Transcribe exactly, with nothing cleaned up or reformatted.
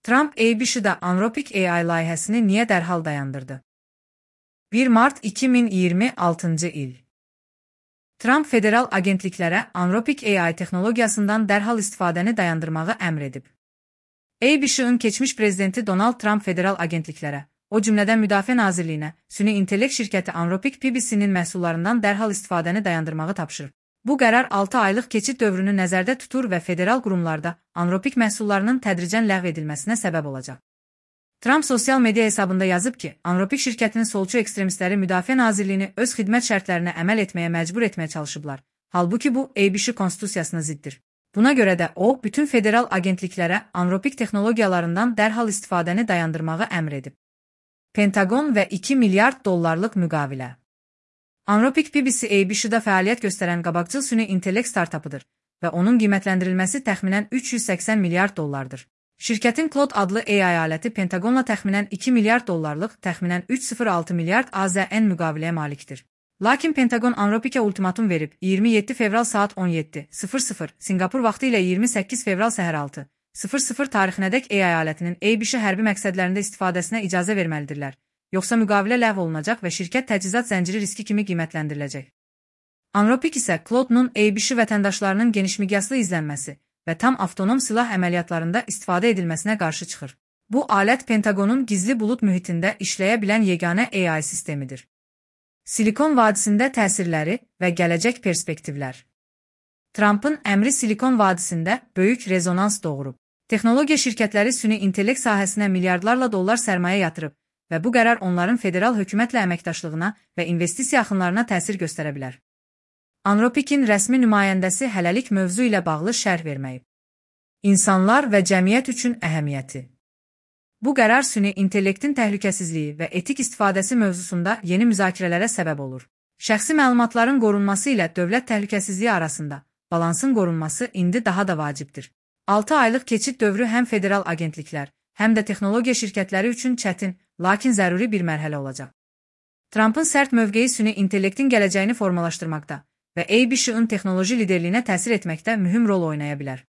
Trump A B Ş'da Anthropic A I layihəsini niyə dərhal dayandırdı? bir mart iki min iyirmi altıncı il. Trump federal agentliklərə Anthropic A I texnologiyasından dərhal istifadəni dayandırmağı əmr edib. A B Ş'ın keçmiş prezidenti Donald Trump federal agentliklərə, o cümlədən Müdafiə Nazirliyinə, süni intellekt şirkəti Anthropic P B C'nin məhsullarından dərhal istifadəni dayandırmağı tapşırıb. Bu qərar altı aylıq keçid dövrünü nəzərdə tutur və federal qurumlarda Anthropic məhsullarının tədricən ləğv edilməsinə səbəb olacaq. Trump sosial media hesabında yazıb ki, Anthropic şirkətinin solçu ekstremistləri Müdafiə Nazirliyini öz xidmət şərtlərinə əməl etməyə məcbur etməyə çalışıblar. Halbuki bu, A B Ş konstitusiyasına ziddir. Buna görə də o, bütün federal agentliklərə Anthropic texnologiyalarından dərhal istifadəni dayandırmağı əmr edib. Pentagon və iki milyard dollarlıq müqavilə. Anthropic P B C A B Ş'da fəaliyyət göstərən qabaqcıl süni intellekt startapıdır və onun qiymətləndirilməsi təxminən üç yüz səksən milyard dollardır. Şirkətin Claude adlı A I aləti Pentagonla təxminən iki milyard dollarlıq, təxminən üç yüz altı milyard A Z N müqaviləyə malikdir. Lakin Pentagon Anthropic'ə ultimatum verib, iyirmi yeddi fevral saat on yeddi sıfır sıfır Sinqapur vaxtı ilə iyirmi səkkiz fevral səhər altı sıfır sıfır tarixinədək A I alətinin A B Ş hərbi məqsədlərində istifadəsinə icazə verməlidirlər. Yoxsa müqavilə ləğv olunacaq və şirkət təchizat zənciri riski kimi qiymətləndiriləcək. Anthropic isə Claude-nun A B Ş vətəndaşlarının genişmiqyaslı izlənməsi və tam avtonom silah əməliyyatlarında istifadə edilməsinə qarşı çıxır. Bu alət Pentagonun gizli bulut mühitində işləyə bilən yeganə A I sistemidir. Silikon vadisində təsirləri və gələcək perspektivlər. Trump'ın əmri Silikon vadisində böyük rezonans doğurub. Texnologiya şirkətləri süni intellekt sahəsinə milyardlarla dollar sərmayə yatırıb və bu qərar onların federal hökumətlə əməkdaşlığına və investisiya axınlarına təsir göstərə bilər. Anthropic'in rəsmi nümayəndəsi hələlik mövzu ilə bağlı şərh verməyib. İnsanlar və cəmiyyət üçün əhəmiyyəti. Bu qərar süni intellektin təhlükəsizliyi və etik istifadəsi mövzusunda yeni müzakirələrə səbəb olur. Şəxsi məlumatların qorunması ilə dövlət təhlükəsizliyi arasında balansın qorunması indi daha da vacibdir. altı aylıq keçid dövrü həm federal agentliklər, həm də texnologiya şirkətləri üçün çətin, lakin zəruri bir mərhələ olacaq. Trump'ın sərt mövqeyi süni intellektin gələcəyini formalaşdırmaqda və A B Ş'ın texnoloji liderliyinə təsir etməkdə mühüm rol oynaya bilər.